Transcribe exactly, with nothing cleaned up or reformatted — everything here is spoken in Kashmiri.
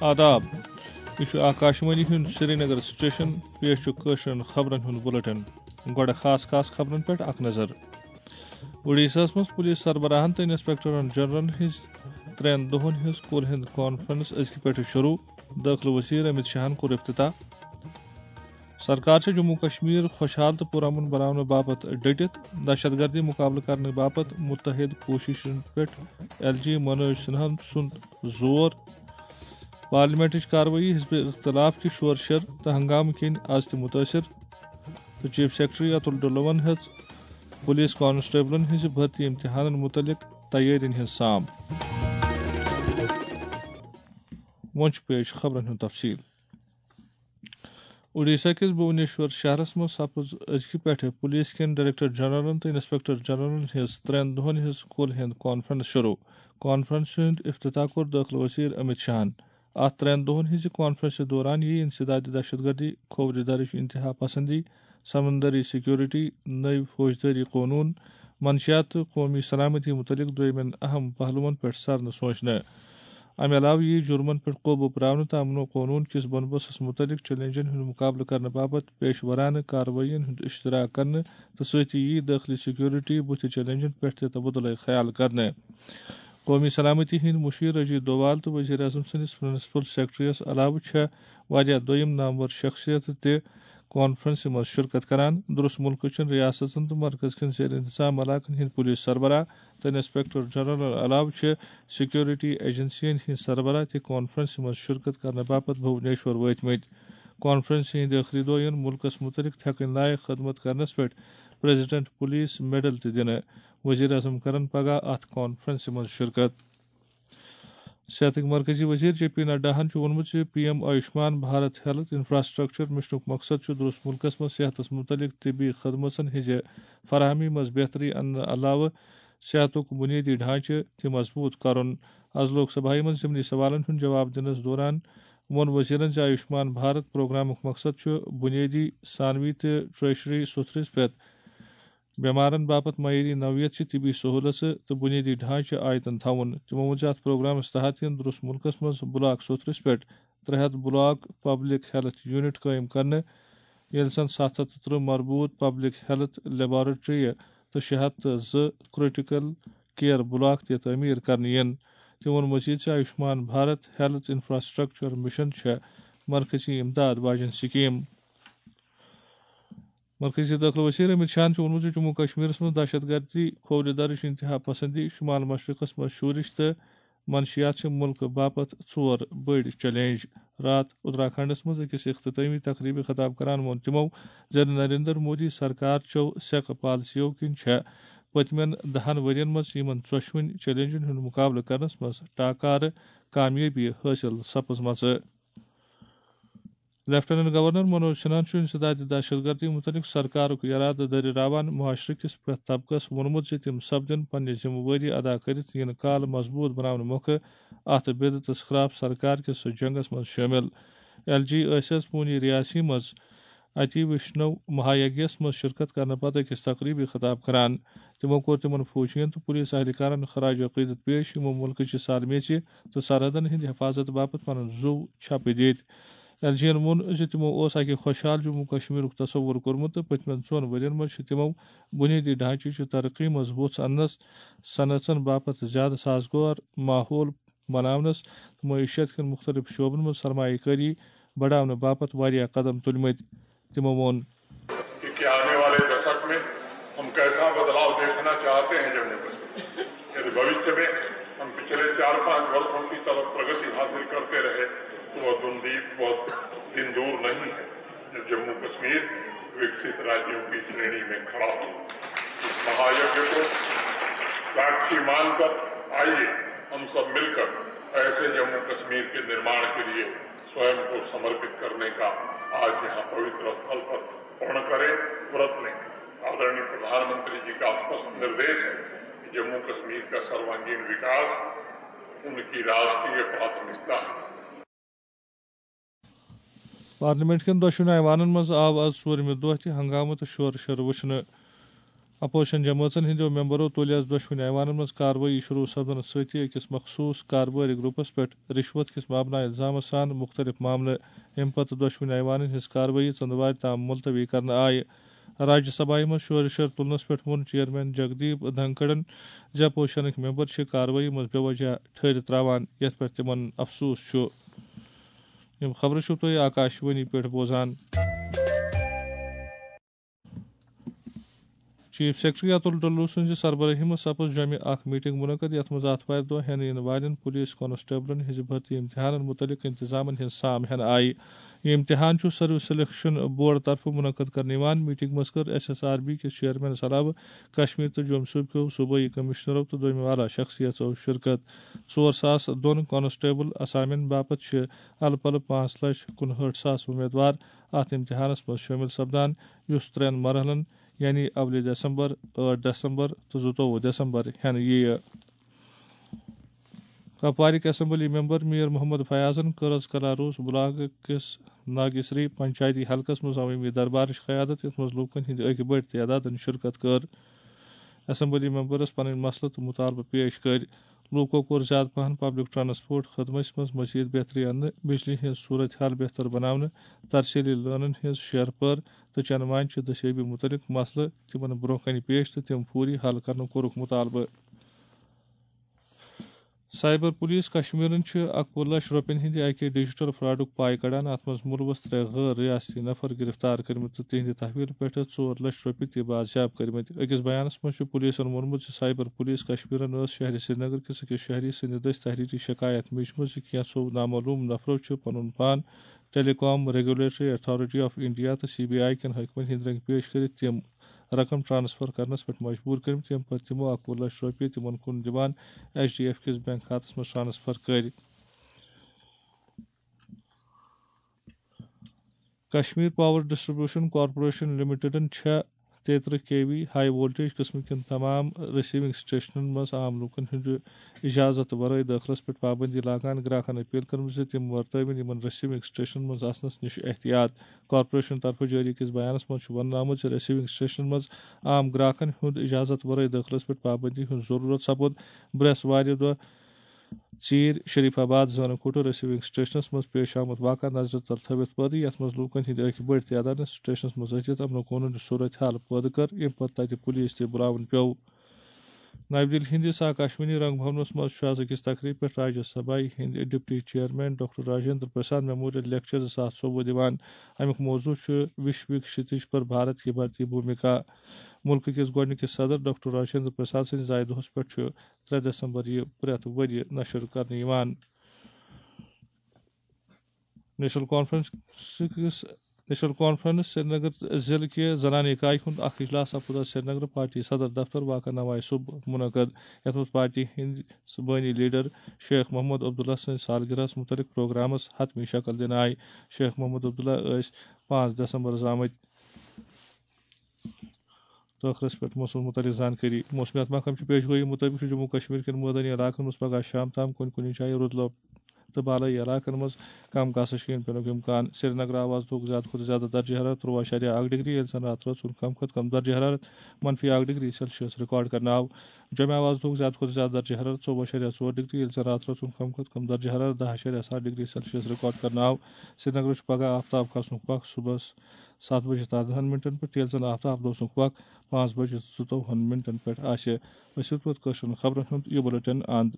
آداب۔ یہِ چھُ آکاشوانی ہُنٛد سرینگر سٹیشن۔ پیش چھُ کٲشرٮ۪ن خبرن ہُنٛد بُلٹن۔ گۄڈٕ خاص خاص خبرن پٮ۪ٹھ اکھ نظر۔ اوڈیشاہس منٛز پولیس سربراہن تہٕ انسپیکٹرن جنرلن ہٕنٛز ترٛٮ۪ن دۄہن ہٕنٛز کُل ہِنٛد کانفرنس أزکہِ پٮ۪ٹھٕ شروع۔ دٲخلہٕ وزیر امت شاہن کوٚر افتتاح۔ سرکار چھےٚ جموں کشمیر خۄشحال تہٕ پُرامن بناونہٕ باپتھ ڈٔٹِتھ۔ دہشت گردی مقابلہٕ کرنہٕ باپتھ متحد کوٗششن پٮ۪ٹھ ایل جی منوج سنہا سُنٛد زور۔ پارلیمنٹٕچ کاروٲیی حزب اختلاف کہِ شور شر تہٕ ہنگامہٕ کِنۍ از تہِ متٲثر۔ تہٕ چیف سیکرٹری اتُل ڈلون ہیٚژ پولیس کانسٹیبلن ہٕنٛزِ بھرتی امتحانن متعلق تیٲرین ہٕنٛز سام۔ وۄنۍ چھُ پیش خبرن ہُنٛد تفصیل۔ اوڈیشہ کِس بھونیشور شہرس منٛز سپٕز أزکہِ پٮ۪ٹھٕ پولیس کٮ۪ن ڈائریکٹر جنرلن تہٕ انسپیکٹر جنرلن ہٕنٛز ترٛٮ۪ن دۄہن ہٕنٛز کُل ہِنٛد کانفرنس شروع۔ کانفرنس ہُنٛد افتتاح کوٚر دٲخلہٕ وزیر امت شاہن۔ اتھ ترٛٮ۪ن دۄہن ہٕنٛزِ کانفرنسہِ دوران یِیہِ انسداد دہشت گردی، کھوورِ درٕچ انتہا پسندی، سمندری سیکورٹی، نٔوۍ فوجدٲری قونوٗن، منشیات تہٕ قومی سلامتی متعلق دویمٮ۪ن اہم پہلوَن پٮ۪ٹھ سرنہٕ سوچنہٕ۔ امہِ علاوٕ یِیہِ جرمن پٮ۪ٹھ قوبوٗ پراونہٕ تہٕ امن و قونوٗن کِس بنٛدوبستس متعلق چیلنجن ہُنٛد مقابلہٕ کرنہٕ باپتھ پیش ورانہٕ کاروٲیین ہُنٛد اشتراک کرنہٕ تہٕ سۭتی یِیہِ دٲخلی سیکورٹی بُتھِ چیلنجن پٮ۪ٹھ تہِ تبادلہٕ خیال کرنہٕ۔ قومی سلامتی ہٕنٛدۍ مُشیر اجیت دووال تہٕ وزیر اعظم سٕنٛدِس پرنسپل سیکرٹریَس علاوٕ چھےٚ واریاہ دوٚیِم نامور شخصیتہٕ تہِ کانفرنسہِ منٛز شرکت کران۔ درست مُلکہٕ چٮ۪ن ریاستن تہٕ مرکز کٮ۪ن زیر انتظام علاقن ہٕنٛدۍ پولیس سربراہ تہٕ انسپیکٹر جنرل علاوٕ چھِ سیکورٹی ایجنسین ہٕنٛدۍ سربراہ تہِ کانفرنسہِ منٛز شرکت کرنہٕ باپتھ بھونیشور وٲتمٕتۍ۔ کانفرنسہِ ہٕنٛدۍ ٲخری دۄہ یِن مُلکس مُتعلق تھٮ۪کٕنۍ لایق خدمت کرنس پٮ۪ٹھ پریزیڈنٹ پولیس میڈل تہِ دِنہٕ۔ وزیر اعظم کرن پگاہ اتھ کانفرنسہِ منٛز شرکت۔ صحتٕکۍ مرکزی وزیر جے پی نڈاہن چھُ ووٚنمُت زِ P M Ayushman Bharat health infrastructure مشنُک مقصد چھُ درست مُلکس منٛز صحتس مُتعلق طبی خدمژن ہٕنٛزِ فراہمی منٛز بہتری اننہٕ علاوٕ صحتُک بُنیٲدی ڈھانچہٕ تہِ مضبوٗط کرُن۔ از لوک سبھایہ منٛز ضمنی سوالن ہُنٛد جواب دِنس دوران ووٚن وزیرن زِ آیوشمان بھارت پروگرامُک مقصد چھُ بُنیٲدی، ثانوی تہٕ ٹرشری سطحس پٮ۪ٹھ بیمارن باپتھ معیٲری نوعیت چہِ طبی سہولژٕ تہٕ بنیٲدی ڈھانچہٕ آیتن تھاوُن۔ تِمو ووٚن زِ اتھ پروگرامس تحت یِن درست مُلکس منٛز بلاک سطحس پٮ۪ٹھ ترٛےٚ ہتھ بلاک پبلک ہیلتھ یونٹ قٲیِم کرنہٕ، ییٚلہِ زن ستھ ہتھ تہٕ ترٕٛہ مربوط پبلک ہیلتھ لیبارٹری تہٕ شےٚ ہتھ تہٕ زٕ کرٹیکل کیئر بلاک تہِ تعمیٖر کرنہٕ یِن۔ تِمو ووٚن مزید زِ Ayushman Bharat health infrastructure mission چھےٚ مرکزی امداد واجٮ۪ن سکیٖم۔ مرکزی دٲخلہٕ وزیر امت شاہن چھُ ووٚنمُت زِ جموں کشمیرس منٛز دہشت گردی، کھوورِ درٕچ انتہا پسندی، شمال مشرقس منٛز شورش تہٕ منشیات چھِ مُلکہٕ باپتھ ژور بٔڑۍ چیلنج۔ راتھ اتراکھنڈس منٛز أکِس اختتٲمی تقریبہِ خطاب کران ووٚن تِمو زِ نریندر مودی سرکار چٮ۪و سیکہٕ پالیسیو کِنۍ چھےٚ پٔتمٮ۪ن دہن ؤرین منٛز یِمن ژۄشوٕنۍ چیلنجن ہُنٛد مقابلہٕ کرنس منٛز ٹاکارٕ کامیٲبی حٲصِل سپٕزمژٕ۔ لیفٹیننٹ گورنر منوج سنہاہن چھُ انسداد دہشت گردی متعلق سرکارُک ارادٕ دٔریراوان معاشرٕ کِس پرٛٮ۪تھ طبقس ووٚنمُت زِ تِم سپدن پننہِ ذمہٕ وٲری ادا کٔرِتھ یِنہٕ کالہٕ مضبوٗط بناونہٕ مۄکھٕ اتھ بدعتس خلاف سرکار کِس جنگس منٛز شٲمِل۔ ایل جی ٲسۍ از پوٗنی ریاسی منٛز اتی وشنو مہایگیس منٛز شرکت کرنہٕ پتہٕ أکِس تقریبی خطاب کران۔ تِمو کوٚر تِمن فوجین تہٕ پولیس اہلکارن خراج عقیدت پیش، یِمو مُلکٕچہِ سالمیژِ تہٕ سرحدن ہٕنٛدِ حفاظت باپتھ پنُن زُو چھپہٕ دِتۍ۔ ایل جی ین ووٚن زِ تِمو اوس اکہِ خۄشحال جموں کشمیرُک تصور کوٚرمُت تہٕ پٔتمٮ۪ن ژۄن ؤرین منٛز چھِ تِمو بُنیٲدی ڈھانچہٕ چہِ ترقی منٛز وُژھ اننس، صنعژن باپتھ زیادٕ سازگار ماحول بناونس تہٕ معیشت کٮ۪ن مُختٔلِف شعبن منٛز سرمایہ کٲری بڑاونہٕ باپتھ واریاہ قدم تُلمٕتۍ۔ تِمو ووٚن۔ کہ آنے والے دشک میں ہم کیسا بدلاؤ دیکھنا چاہتے ہیں جموں کشمیر۔ یدی بھوشیہ میں ہم پچھلے چار پانچ ورشوں کی طرح پرگتی حاصل کرتے رہے تو وہ دن دی-، وہ دن دور نہیں ہے جب جموں کشمیر وکست راجیوں کی شریانی میں کھڑا ہو۔ اس مہایگیہ کو ساکشی مان کر آئیے ہم سب مل کر ایسے جموں کشمیر کے نرماڑ کے لیے سوئم کو سمرپت کرنے کا آج یہاں پوتر استھل پر پورن کریں، ورت لیں۔ آدرنی پردھان منتری جی کا اسپشٹ نردیش ہے کہ جموں کشمیر کا سروانگین وکاس ان کی راشٹریہ پراتھمکتا ہے۔ پارلیمنٹ کٮ۪ن دۄشوٕنی ایوانن منٛز آو از ژوٗرمہِ دۄہ تہِ ہنگامہٕ تہٕ شور شر وٕچھنہٕ۔ اپوزیشن جمٲژن ہٕنٛدیو ممبرو تُلۍ آز دۄشوٕنی ایوانن منٛز کاروٲیی شروع سپدنس سۭتی أکِس مخصوٗص کاربٲرۍ گروپس پٮ۪ٹھ رشوت کِس مبنایہِ الزامس سان مُختٔلِف معاملہٕ۔ اَمہِ پتہٕ دۄشوٕنی ایوانن ہٕنٛز کاروٲیی ژٔنٛدروارِ تام ملتوی کرنہٕ آیہِ۔ راجیہ سبھایہ منٛز شورِ شر تُلنس پٮ۪ٹھ ووٚن چیئرمین جگدیپ دھنکھڑن زِ اپوزیشنٕکۍ ممبر چھِ کاروٲیی منٛز بے وجہ ٹھٔہرِ تراوان، یتھ پٮ۪ٹھ تِمن افسوس چھُ۔ یِم خبرٕ چھِو تُہۍ آکاشوانی پٮ۪ٹھ بوزان۔ چیف سیکرٹری اتُل ڈلو سٕنٛزِ سربرٲہی منٛز سپٕز جۄمہِ اکھ میٹنگ منعقد، یتھ منٛز آتھوارِ دۄہ ہٮ۪نہٕ یِنہٕ والٮ۪ن پولیس کانسٹیبلن ہٕنٛزِ بھرتی امتحانن مُتعلق انتظامن ہٕنٛز سام ہٮ۪نہٕ آیہِ۔ یہِ امتحان چھُ سروس سلیکشن بورڈ طرفہٕ منعقد کرنہٕ یِوان۔ میٹنگ منٛز کٔر ایس ایس آر بی کِس چیئرمینس علاوٕ کشمیر تہٕ جوٚم صوبہٕ کیو صوبٲئی کمشنرو تہٕ دوٚیمہِ والا شخصیژو شرکت۔ ژور ساس دۄن کانسٹیبل اسامین باپتھ چھِ الہٕ پلہٕ پانٛژھ لچھ کُنہٲٹھ ساس امیدوار اتھ امتحانس منٛز شٲمِل سپدان، یُس ترٛٮ۪ن مرحلن، یعنی اولِ دسمبر، ٲٹھ دسمبر تہٕ زٕتووُہ دسمبر ہٮ۪نہٕ یِیہِ۔ کپوارٕکۍ اسمبلی ممبر میر محمد فیاضن کٔر آز کلاروس بلاک کِس ناگیسری پنچایتی حلقس منٛز عوٲمی دربارٕچ قیادت، یتھ منٛز لوٗکن ہٕنٛدِ اکہِ بٔڑۍ تعدادن شرکت کٔر۔ اسمبلی ممبرس پنٕنۍ مسلہٕ تہٕ مطالبہٕ پیش کٔرۍ۔ لوٗکو کوٚر زیادٕ پہن پبلک ٹرانسپورٹ خدمتس منٛز مزید بہتری اننہٕ، بجلی ہٕنٛز صورت حال بہتر بناونہٕ، ترسیلی لٲنن ہٕنٛز شیرپٲر تہٕ چنہٕ وانہِ چہِ دٔستیٲبی مُتعلق مسلہٕ تِمن برونٛہہ کنہِ پیش تہٕ تِم فوری حل کرنُک کوٚرُکھ مطالبہٕ۔ سائبر پولیس کشمیرن چھِ اکوُہ لچھ رۄپین ہٕنٛدِ اکہِ ڈیجیٹل فراڈُک پاے کڑان۔ اتھ منٛز مُلوث ترٛےٚ غٲر ریاستی نفر گرفتار کٔرمٕتۍ تہٕ تِہنٛدِ تحویل پٮ۪ٹھ ژور لچھ رۄپیہِ تہِ بازیاب کٔرمٕتۍ۔ أکِس بیانس منٛز چھُ پولیسن ووٚنمُت زِ سائبر پولیس کشمیرن ٲس شہرِ سرینگر کِس أکِس شہری سٕنٛدِ دٔسۍ تحریری شکایت میجمٕژ زِ کینٛژھو نامعلوم نفرو چھُ پنُن پان ٹیلی کام ریگولیٹری اتھارٹی آف انڈیا تہٕ سی بی آئی کٮ۪ن حٲکمن ہٕنٛدۍ رٔنگۍ پیش کٔرِتھ تِم رقم ٹرانسفر کرنس پٮ۪ٹھ مجبور کٔرمٕتۍ، ییٚمہِ پتہٕ تِمو اکوُہ لچھ رۄپیہِ تِمن کُن دِوان ایچ ڈی ایف کِس بینک کھاتس منٛز ٹرانسفر کٔرۍ۔ کشمیر پاور ڈسٹریبیوشن کارپوریشن لمیٹڈن چھےٚ تیترٕہ کے وی ہائی وولٹیج قٕسمہٕ کٮ۪ن تمام رسیونگ سٹیشنن منٛز عام لوٗکن ہٕنٛدِ اجازت ورٲے دٲخلس پٮ۪ٹھ پابندی لاگان گراکن اپیل کٔرمٕژ زِ تِم ورتٲوِن یِمن رسیونگ سٹیشنن منٛز آسنس نِش احتیاط۔ کارپوریشن طرفہٕ جٲری أکِس بیانس منٛز چھُ وننہٕ آمُت زِ رسیونگ سٹیشنن منٛز عام گراکن ہُنٛد اجازت ورٲے دٲخلس پٮ۪ٹھ پابندی ہٕنٛز ضروٗرت سپُد برٛٮ۪سوارِ دۄہ ژیٖرۍ شریف آباد زٲنہٕ کھوٹہٕ رسیونگ سٹیشنس منٛز پیش آمُت واقعہ نظرِ تل تھٲوِتھ پٲدٕ، یتھ منٛز لوٗکن ہٕنٛدۍ أکۍ بٔڑۍ تعدادن سٹیشنس منٛز أژِتھ امن قونوٗن صورت حال پٲدٕ کٔر، ییٚمہِ پتہٕ تتہِ پولیس تہِ بُلاوُن پیوٚو۔ نَوِ دِلہِ ہٕنٛدِس آکاشوانی رنگ بھونس منٛز چھُ آز أکِس تقریبہِ پٮ۪ٹھ راجیہ سبھایہ ہٕنٛدۍ deputy chairman doctor Rajendra Prasad memorial lecture زٕ ساس ژوٚوُہ دِوان۔ اَمیُک موضوع چھُ وشو کی کھشتیج پر بھارت کی بھارتی بھومکا۔ مُلکہٕ کِس گۄڈٕنِکِس صدر ڈاکٹر راجندر پرساد سٕنٛدِ زایہِ دۄہس پٮ۪ٹھ چھُ ترٛےٚ دسمبر یہِ پرٛٮ۪تھ ؤرۍ یہِ نشر کرنہٕ یِوان۔ نیشنل کانفرنس کِس، نیشنل کانفرنس سرینگر ضلعہٕ کہِ زنانہٕ اِکایہِ ہُنٛد اکھ اجلاس سپُد آز سرینگر پارٹی صدر دفتر واقع نوائے صبح منعقد، یتھ منٛز پارٹی ہٕنٛدۍ بٲنی لیڈر شیخ محمد عبداللہ سٕنٛدِ سالگرہس مُتعلق پروگرامس حتمی شکل دِنہٕ آیہِ۔ شیخ محمد عبداللہ ٲسۍ پانٛژھ دسمبرس آمٕتۍ۔ ٲخرس پٮ۪ٹھ موسمس مُتعلق زانکٲری۔ موسمیات محکمہٕ چہِ پیش گویی مُطٲبِق چھُ جموں کشمیر کٮ۪ن مٲدٲنی علاقن منٛز پگاہ شام تام کُنہِ کُنہِ جایہِ رُدٕ لۄب تہٕ بالٲیی علاقن منٛز کم کاسہٕ شیٖن پینُک امکان۔ سرینگر آو آز دۄہُک زیادٕ کھۄتہٕ زیادٕ درجہ حرارت تُرٛواہ اَشاریہ اکھ ڈگری، ییٚلہِ زن راتہٕ رٲژ ہُنٛد کم کھۄتہٕ کم درجہ حرارت منفی اکھ ڈگری سیلسیس ریکارڈ کرنہٕ آو۔ جوٚمہِ آو آز دۄہُک زیادٕ کھۄتہٕ زیادٕ درجہ حرارت ژوٚوُہ اَشاریہ ژور ڈگری، ییٚلہِ زن راتہٕ رٲژ ہُنٛد کم کھۄتہٕ کم درجہ حرارت دَہ اَشاریہ ستھ ڈگری سیلسیس ریکارڈ کرنہٕ آو۔ سرینگرس چھُ پگاہ آفتاب کھسنُک وق صُبحس ستھ بجہِ تہٕ اَردَہَن مِنٹَن پٮ۪ٹھ، ییٚلہِ زَن آفتاب لوسنُک وق پانٛژھ بجہِ تہٕ زٕتووُہَن مِنٹَن پٮ۪ٹھ آسہِ۔ أسۍ واتو پتہٕ کٲشرٮ۪ن خبرن ہُنٛد یہِ بُلٹن اند۔